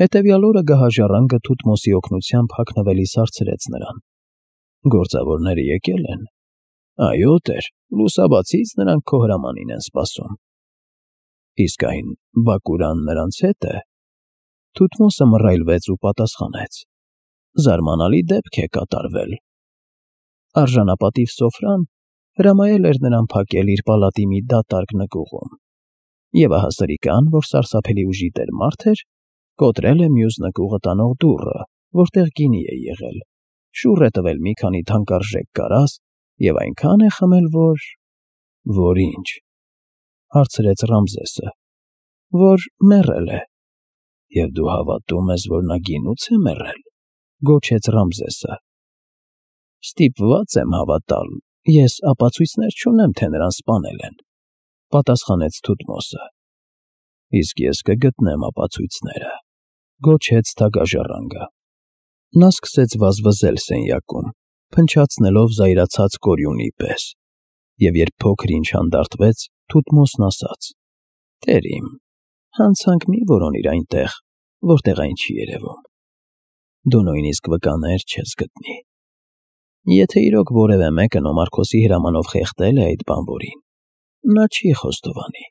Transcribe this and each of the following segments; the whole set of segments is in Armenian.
Հետևյալ օրը գահաժառանգը Թութմոսի օգնությամբ հագնվելիս հարցրեց նրան. «Գործավորները եկել են»։ «Այո, տեր, լուսաբացից նրանք քո հրամանին են սպասում»։ «Իսկ այն Բակուրան նրանց հետ է»։ Թութմոսը մռայլվեց ու պատասխանեց. «Զարմանալի դեպք է կատարվել»։ Արժանապատիվ սոֆրան հրամայել էր նրան փակել իր պալատի մի դատարկ նկուղում, և ահա սրիկան, որ սարսափելի ուժի տեր մարդ էր, կոտրել է մյուս նկուղը տանող դուռը, որտեղ գինի է եղել, շուռ է տվել մի քանի թանկարժեք կարաս և այնքան է խմել, որ… «Որ ինչ»։ Հարցրեց Ռամզեսը։ «Որ մեռել է»։ «Եվ դու հավատում ես, որ նա գինուց է մեռել»։ Գոչեց Ռամզեսը։ «Ստիպված եմ հավատալ, ես ապացույցներ չունեմ, թե նրան սպանել են», պատասխանեց Թութմոսը։ «Իսկ ես կգտնեմ ապացույցները», գոչեց թագաժառանգը։ Նա սկսեց վազվզել սենյակում, փնչացնելով զայրացած կորյունի պես, և երբ փոքր-ինչ հանդարտվեց, Թութմոսն ասաց. «Տեր իմ, հանցանք մի որոնիր այնտեղ, որտեղ այն չի երևում։ Դու նույնիսկ վկաներ չես գտնի։ Եթե իրոք որևէ մեկը Նոմարքոսի հրամանով խեղդել է այդ բանվորին, նա չի խոստովանի,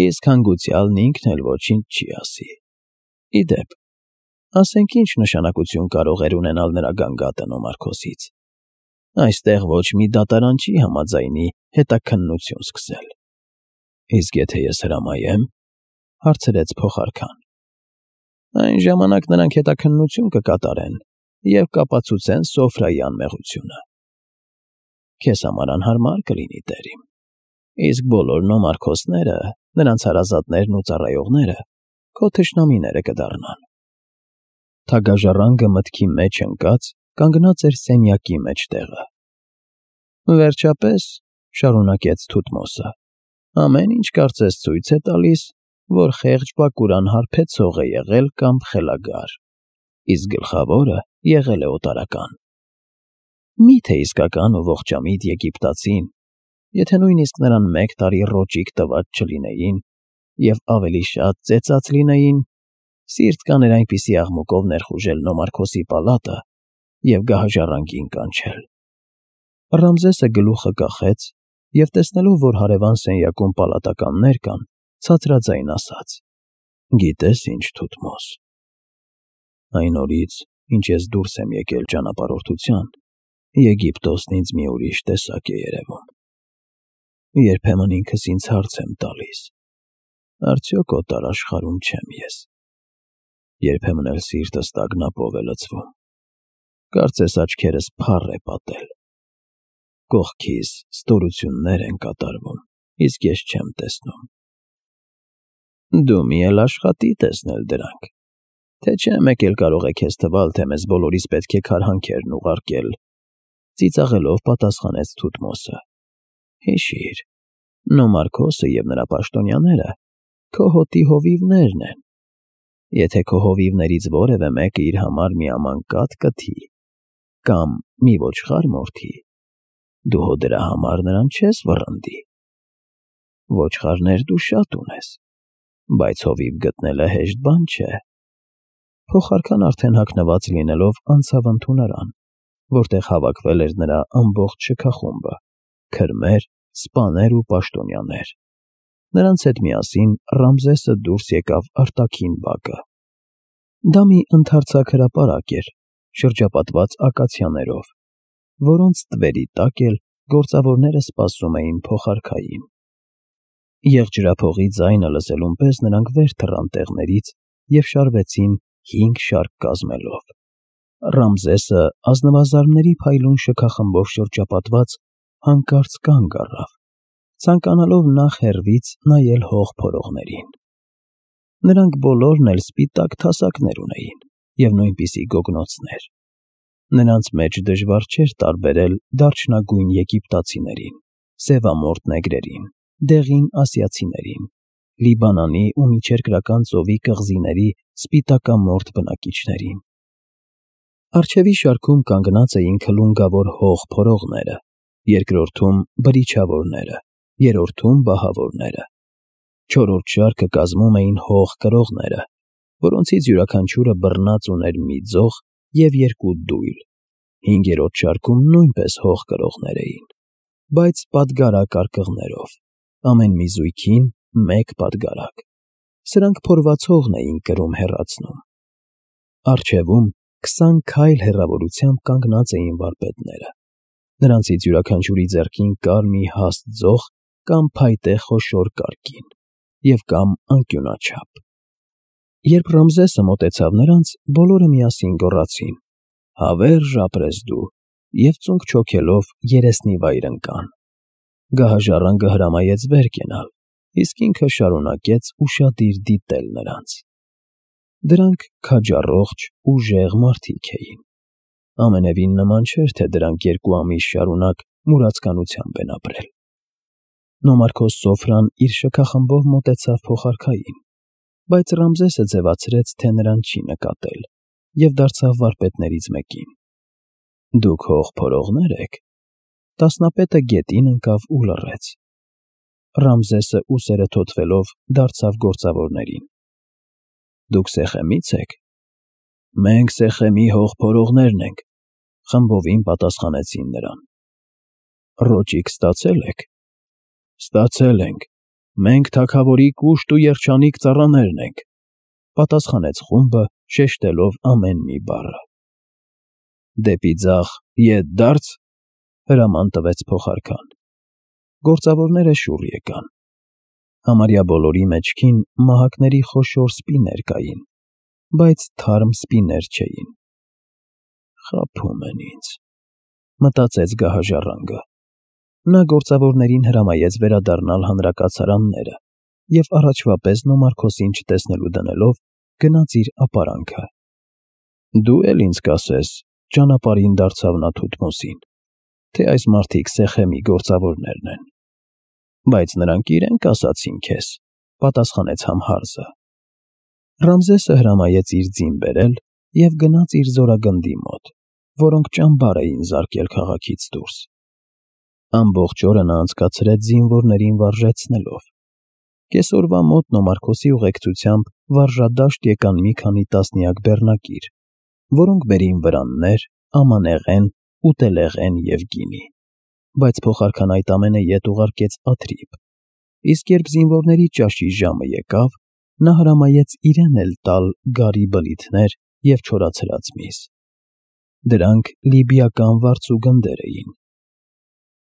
իսկ հանգուցյալն ինքն էլ ոչինչ չի ասի։ Ի դեպ, ասենք ինչ նշանակություն կարող էր ունենալ նրա գանգատը Նոմարքոսից։ Այստեղ ոչ մի դատարան չի համաձայնի հետաքննություն սկսել»։ «Իսկ եթե ես հրամայեմ»։ Հարցրեց փոխարքան։ «Այն ժամանակ նրանք հետաքննություն կկատարեն և կապացուցեն Սոֆրայի անմեղությունը»։ «Քեզ համար անհարմար կլինի, տեր իմ, իսկ բոլոր Նոմարքոսները, նրանց հարազատներն ու ծառայողները քո թշնամիները կդառնան»։ Թագաժառանգը մտքի մեջ ընկած կանգնած էր սենյակի մեջտեղը։ «Վերջապես, ֊ շարունակեց Թութմոսը, ֊ ամեն ինչ կարծես ցույց է տալիս, որ խեղճ Բակուրան հարբեցող է եղել կամ խելագար, իսկ գլխավորը եղել է օտարական։ Մի՞թե իսկական ու ողջամիտ Եգիպտացին, եթե նույնիսկ նրան 1 տարի ռոճիկ տված չլինեին և ավելի շատ ծեծած լինեին, սիրտ կաներ այնպիսի աղմուկով ներխուժել Նոմարքոսի պալատը և գահաժառանգին կանչել»։ Ռամզեսը գլուխը կախեց և, տեսնելով, որ հարևան սենյակում պալատականներ կան, ցածրաձայն ասաց. «Գիտես ինչ, Թութմոս, այն օրից, ինչ ես դուրս եմ եկել ճանապարհորդության, Եգիպտոսն ինձ մի ուրիշ տեսակ է երևում։ Երբեմն ինքս ինձ հարց եմ տալիս. արդյոք օտար աշխարհում չեմ ես։ Երբեմն էլ սիրտս տագնապով է լցվում, կարծես աչքերս փառ է պատել։ Կողքիս ստորություններ են կատարվում, իսկ ես չեմ տեսնում։ Դու մի էլ աշխատի տեսնել դրանք, թե չէ մեկ էլ կարող է քեզ թվալ, թե մեզ բոլորիս պետք է քարհանքերն ուղարկել», ծիծաղելով պատասխանեց Թութմոսը։ «Հիշիր, Նոմարքոսը և նրա պաշտոնյաները քո հոտի հովիվներն են։ Եթե քո հովիվներից որևէ մեկը իր համար մի աման կաթ կթի կամ մի ոչխար մորթի, դու հո դրա համար նրան չես վռնդի։ Ոչխարներ դու շատ ունես, բայց հովիվ գտնելը հեշտ բան չէ»։ Փոխարքան արդեն հագնված լինելով անցավ ընդունարան, որտեղ հավաքվել էր նրա ամբողջ շքախումբը՝ քրմեր, սպաներ ու պաշտոնյաներ։ Նրանց հետ միասին Ռամզեսը դուրս եկավ արտաքին բակը։ Դա մի ընդարձակ հրապարակ էր, շրջապատված ակացիաներով, որոնց ստվերի տակ էլ գործավորները սպասում էին փոխարքային։ Եղջրափողի ձայնը լսելուն պես նրանք վեր թռան տեղներից և շարվեցին 5 շարք կազմելով։ Ռամզեսը ազնվազարդների փայլուն շքախմբով շրջապատված հանկարծ կանգ առավ, ցանկանալով նախ հեռվից նայել հող փորողներին։ Նրանք բոլորն էլ սպիտակ թասակներ ունեին և նույնպիսի գոգնոցներ։ Նրանց մեջ դժվար չէր տարբերել դարչնագույն եգիպտացիներին, սևամորթ նեգրերին, դեղին ասիացիներին, Լիբանանի ու Միջերկրական ծովի կղզիների սպիտակամորթ բնակիչներին։ Առջևի շարքում կանգնած էին քլունգավոր հող փորողները, երկրորդում բրիչավորները, երրորդում բահավորները։ Չորրորդ շարքը կազմում էին հող կրողները, որոնցից յուրաքանչյուրը բռնած ուներ մի ձող և երկու դույլ, հինգերորդ շարքում նույնպես հող կրողներ էին, բայց պատգարակ արկղներով, ամեն մի զույգին մեկ պատգարակ. սրանք փորված հողն էին կրում հեռացնում։ Առջևում 20 քայլ հեռավորությամբ կանգնած էին վարպետները, նրանցից յուրաքանչյուրի ձեռքին կար մի հաստ ձող կամ փայտե խոշոր կարկին և կամ անկյունաչափ։ Երբ Ռամզեսը մոտեցավ նրանց, բոլորը միասին գոռացին. «Հավերժ ապրես դու», և ծունկ չոքելով երեսնի վայր ընկան։ Գահաժառանգը հրամայեց վեր կենալ, իսկ ինքը շարունակեց ուշադիր դիտել նրանց։ Դրանք քաջառողջ, ուժեղ մարդիկ էին։ Ամենևին նման չէր, թե դրանք 2 ամիս շարունակ մուրացկանությամբ են ապրել։ Նոմարքոս Սոֆրան իր շքախմբով մոտեցավ փոխարքային, բայց Ռամզեսը ձևացրեց, թե նրան չի նկատել, և դարձավ վարպետներից մեկին. «Դուք հող փորողնե՞ր եք»։ Տասնապետը գետին ընկավ ու լռեց։ Ռամզեսը ուսերը թոթվելով դարձավ գործավորներին. «Դուք Սեխեմի՞ց եք»։ «Մենք Սեխեմի հող փորողներն ենք», խմբովին պատասխանեցին նրան։ «Ռոճիկ ստացե՞լ եք»։ «Ստացել ենք, մենք թագավորի կուշտ ու երջանիկ ծառաներն ենք», պատասխանեց խումբը, շեշտելով ամեն մի բառը։ «Դեպի ձախ ետ դարձ», հրաման տվեց փոխարքան։ Գործավորները շուռ եկան։ Համարյա բոլորի մեջքին մահակների խոշոր սպիներ կային, բայց թարմ սպիներ չէին։ «Խաբում են ինձ», մտածեց գահաժառանգը։ Նա գործավորներին հրամայեց վերադառնալ հանրակացարանները և առաջվա պես Նոմարքոսին չտեսնելու դնելով գնաց իր ապարանքը։ «Դու էլ ինձ կասես», ճանապարհին դարձավ նա Թութմոսին, «թե այս մարդիկ Սեխեմի գործավորներն են»։ «Բայց նրանք իրենք ասացին քեզ», պատասխանեց Համհարզը։ Ռամզեսը հրամայեց իր ձին բերել և գնաց իր զորագնդի մոտ, որոնք ճամբար էին զարկել քաղաքից դուրս։ Ամբողջ օրը նա անցկացրեց զինվորներին վարժեցնելով։ Կեսօրվա մոտ Նոմարքոսի ուղեկցությամբ վարժադաշտ եկան մի քանի տասնյակ բեռնակիր, որոնք բերին վրաններ, ամանեղեն, ուտելեղեն և գինի, բայց փոխարքան այդ ամենը ետ ուղարկեց Աթրիբ, իսկ երբ զինվորների ճաշի ժամը եկավ, նա հրամայեց իրեն էլ տալ գարի բլիթներ և չորացրած միս։ Դրանք լիբիական վարձուգնդեր էին։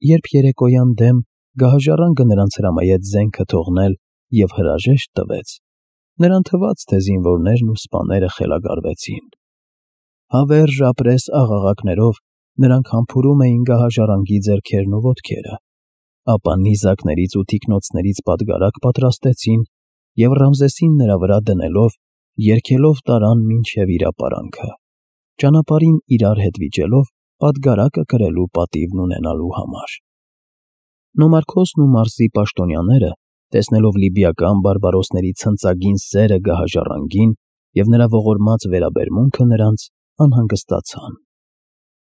Երբ երեկոյան դեմ գահաժառանգը նրանց հրամայեց զենքը թողնել և հրաժեշտ տվեց, նրան թվաց, թե զինվորներն ու սպաները խելագարվեցին։ Հավերժ ապրես աղաղակներով նրանք համբուրում էին գահաժառանգի ձեռքերն ու ոտքերը, ապա նիզակներից ու թիկնոցներից պատգարակ պատրաստեցին և Ռամզեսին նրա վրա դնելով, երգելով տարան մինչև իր ապարանքը, ճանապարհին իրար հետ վիճելով պատգարակը կրելու պատիվն ունենալու համար։ Նոմարքոսն ու Մարսի պաշտոնյաները, տեսնելով լիբիական բարբարոսների ցնծագին սերը գահաժառանգին և նրա ողորմած վերաբերմունքը նրանց, անհանգստացան։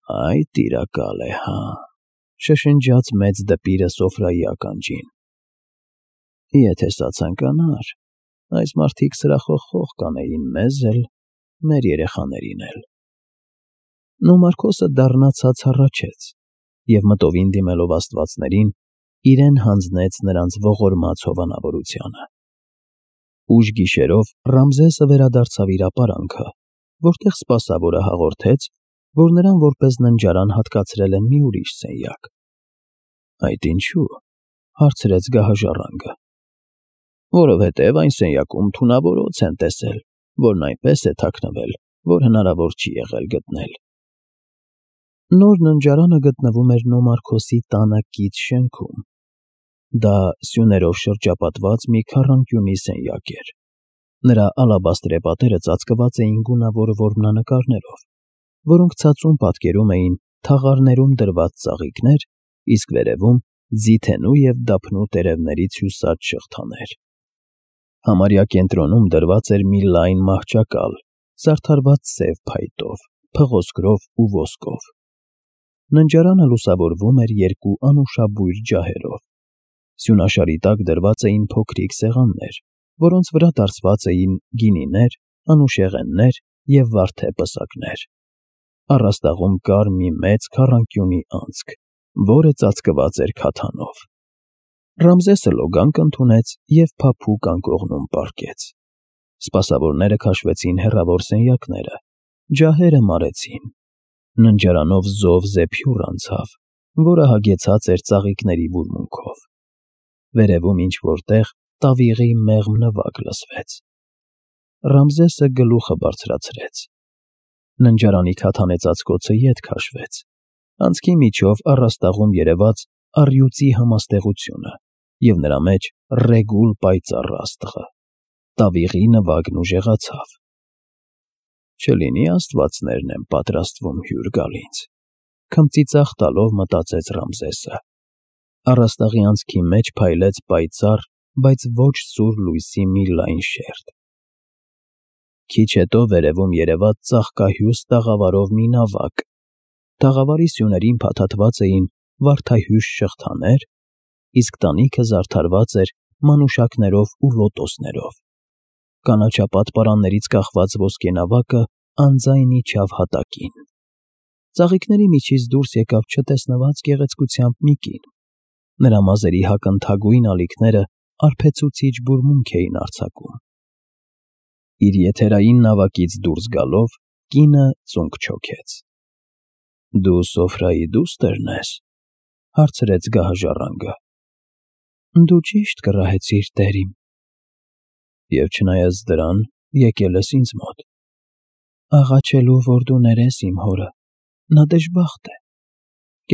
«Այ տիրակալ է, հա», շշնջաց մեծ դպիրը Սոֆրայի ականջին։ «Եթե սա ցանկանար, այս մարդիկ սրախոխող կանեին մեզ էլ, մեր երեխաներին էլ»։ Նոմարքոսը դառնացած հառաչեց և մտովին դիմելով աստվածներին, իրեն հանձնեց նրանց ողորմած հովանավորությանը։ Ուշ գիշերով Ռամզեսը վերադարձավ իր ապարանքը, որտեղ սպասավորը հաղորդեց, որ նրան որպես ննջարան հատկացրել են մի ուրիշ սենյակ։ «Այդ ինչու՞», հարցրեց գահաժառանգը։ «Որովհետև այն սենյակում թունավոր օձ են տեսել, որն այնպես է թաքնվել, որ հնարավոր չի եղել գտնել»։ Նոր ննջարանը գտնվում էր Նոմարքոսի տանը կից շենքում։ Դա սյուներով շրջապատված մի քառանկյունի սենյակ էր։ Նրա ալաբաստրե պատերը ծածկված էին գունավոր որմնանկարներով, որոնք ցածուն պատկերում էին թաղարներում դրված ծաղիկներ, իսկ վերևում ձիթենու և դափնու տերևներից հյուսած շղթաներ։ Համարյա կենտրոնում դրված էր մի լայն մահճակալ, զարդարված սև փայտով, փղոսկրով ու ոսկով։ Ննջարանը լուսավորվում էր երկու անուշաբույր ջահերով։ Սյունաշարի տակ դրված էին փոքրիկ սեղաններ, որոնց վրա դարսված էին գինիներ անուշեղեններ և վարդե պսակներ։ Առաստաղում կար մի մեծ քառանկյունի անցք, որը ծածկված էր քաթանով։ Ռամզեսը լոգանք ընդունեց և փափուկ անկողնում պառկեց։ Սպասավորները քաշվեցին հեռավոր սենյակները, ջահերը մարեցին։ Ննջարանով զով զեփյուռ անցավ, որը հագեցած էր ծաղիկների բուրմունքով։ Վերևում ինչ-որ տեղ տավիղի մեղմ նվագ լսվեց։ Ռամզեսը գլուխը բարձրացրեց։ Ննջարանի քաթանեցածկոցը ետ քաշվեց։ Անցքի միջով առաստաղում երևաց առյուծի համաստեղությունը և նրա մեջ ռեգուլ պայծառ աստղը։ Տավիղի նվագն ուժեղացավ։ «Չլինի աստվածներն են պատրաստվում հյուր գալ ինձ», քմծիծաղ տալով մտածեց Ռամզեսը։ Առաստաղի անցքի մեջ փայլեց պայծառ, բայց ոչ սուր լույսի մի լայն շերտ։ Քիչ հետո վերևում երևաց ծաղկահյուս տաղավարով մի նավակ։ Տաղավարի սյուներին փաթաթված էին վարդահյուժ շղթաներ, իսկ տանիքը զարդարված էր մանուշակներով ու լոտոսներով։ Կանաչապատ պարաններից կախված ոսկենավակը անձայն իջավ հատակին։ Ծաղիկների միջից դուրս եկավ չտեսնված գեղեցկությամբ մի կին։ Նրա մազերի հակընթագույն ալիքները արբեցուցիչ բուրմունք էին արձակում։ Իր եթերային նավակից դուրս գալով կինը ծունկ չոքեց։ «Դու Սոֆրայի դուստր ես», հարցրեց գահաժառանգը։ «Դու ճիշտ կռահեցիր, տեր իմ»։ «Եվ չնայած դրան եկել ես ինձ մոտ»։ «Աղաչելու, որ դու ներես իմ հորը, նա դժբախտ է։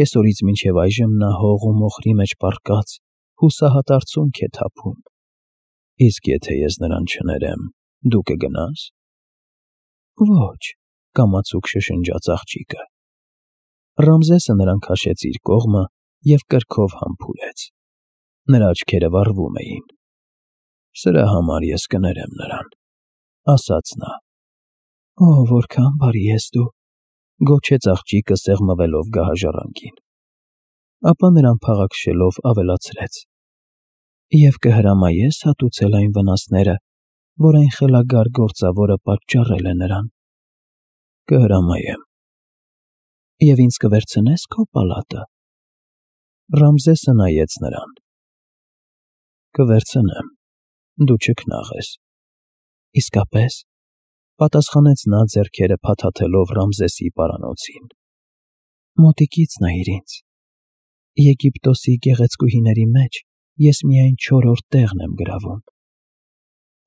Կեսօրից մինչև այժմ նա հող ու մոխրի մեջ պառկած հուսահատ արցունք է թափում։ Իսկ եթե ես նրան չներեմ, դու կգնա՞ս»։ «Ոչ», կամացուկ շշնջաց աղջիկը։ Ռամզեսը նրան քաշեց իր կողմը և կրքով համբուրեց։ Նրա աչքերը վառվում էին։ «Սրա համար ես կներեմ նրան», ասաց նա։ «Օ, որքան բարի ես դու», գոչեց աղջիկը սեղմվելով գահաժառանգին։ Ապա նրան փաղաքշելով ավելացրեց. «Եվ կհրամայես հատուցել այն վնասները, որ այն խելագար գործավորը պատճառել է նրան»։ «Կհրամայեմ»։ «Եվ ինձ կվերցնե՞ս քո պալատը»։ Ռամզեսը նայեց նրան։ «Կվերցնեմ, դու չքնաղես»։ «Իսկապես», պատասխանեց նա ձեռքերը փաթաթելով Ռամզեսի պարանոցին։ «Մոտիկից նայիր ինձ։ Եգիպտոսի գեղեցկուհիների մեջ ես միայն 4-րդ տեղն եմ գրավում»։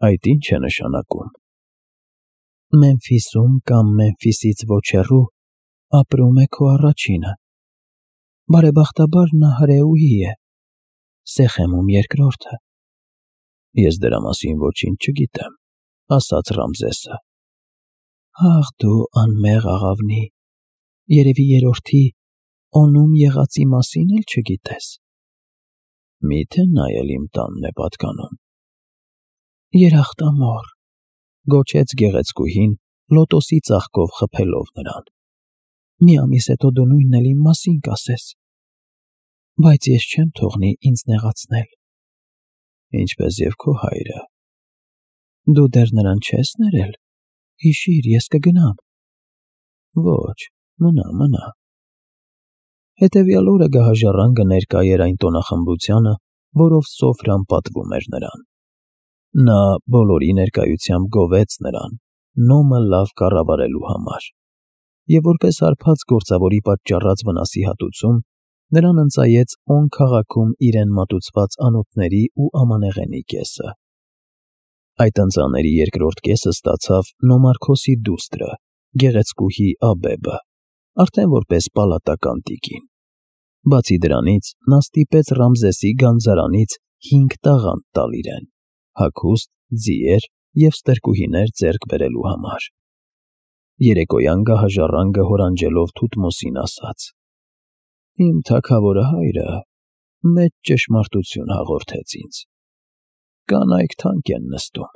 «Այդ ի՞նչ է նշանակում»։ «Մեմֆիսում կամ Մեմֆիսից ոչ հեռու ապրում է քո առաջինը։ Բարեբախտաբար նա հրեուհի է, Սեխեմում երկրորդը»։ «Ես դրա մասին ոչինչ չգիտեմ», ասաց Ռամզեսը։ «Ախ դու անմեղ աղավնի, երևի երրորդի Օնում եղածի մասին էլ չգիտես»։ «Մի՞թե նա էլ իմ տանն է պատկանում»։ «Երախտամոռ», գոչեց գեղեցկուհին, լոտոսի ծաղկով խփելով նրան։ «Մի ամիս հետո դու նույնն էլ իմ մասին կասես։ Բայց ես չեմ թողնի ինձ նեղացնել»։ «Ինչպես և քո հայրը»։ «Դու դեռ նրան չես ներել։ Հիշիր, ես կգնամ»։ «Ոչ, մնա»։ Հետևյալ օրը գահաժառանգը ներկա էր այն տոնախմբությանը, որով Սոֆրան պատվում էր նրան։ Նա բոլորի ներկայությամբ գովեց նրան, նոմը լավ կառավարելու համար, և որպես հարբած գործավորի պատճառած վնասի հատուցում, նրան ընծայեց On քաղաքում իրեն մատուցված անոթների ու ամանեղենի կեսը։ Այդ ընծաների երկրորդ կեսը ստացավ Նոմարքոսի դուստրը, գեղեցկուհի Աբեբը, արդեն որպես պալատական տիկին։ Բացի դրանից, նա ստիպեց Ռամզեսի գանձարանից 5 տաղանդ տալ իրեն, հագուստ, ձիեր և ստրկուհիներ ձեռք բերելու համար։ Երեկոյան գահաժառանգը հորանջելով Թութմոսին ասաց. «Իմ թագավորը հայրը մեծ ճշմարտություն հաղորդեց ինձ. կանայք թանկ են նստում»։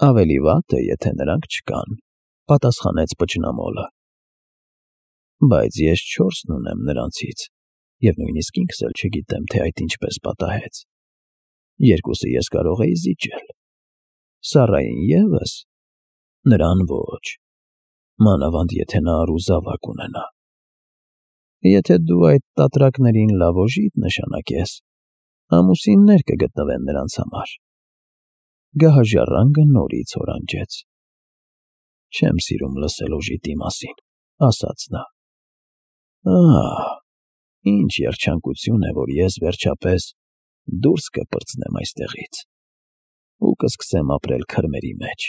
«Ավելի վատ է, եթե նրանք չկան», պատասխանեց պճնամոլը։ «Բայց ես 4-ն ունեմ նրանցից, և նույնիսկ ինքս էլ չգիտեմ, թե այդ ինչպես պատահեց։ Երկուսը ես կարող էի զիջել, Սառային ևս, Նրան ոչ, մանավանդ եթե նա առուզավակ ունենա։ Եթե դու այդ տատրակներին լավոժիդ նշանակես, ամուսիններ կգտնվեն նրանց համար։ Գահաժառանգը նորից հորանջեց։ Չեմ սիրում լսել օժիտի մասին, ասաց նա։ Ահ, ինչ երջանկություն է, որ ես վերջապես դուրս կպրծնեմ այստեղից ու կսկսեմ ապրել քրմերի մեջ։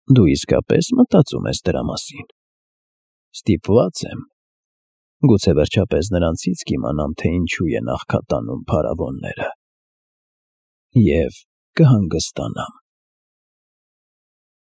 Դու իսկապես մտածում ես դրա մասին։ Ստիպված եմ։ Գուցե վերջապես նրանցից կիմանամ, թե ինչու են աղքատանում փարավոնները։ Եվ կհանգստանամ։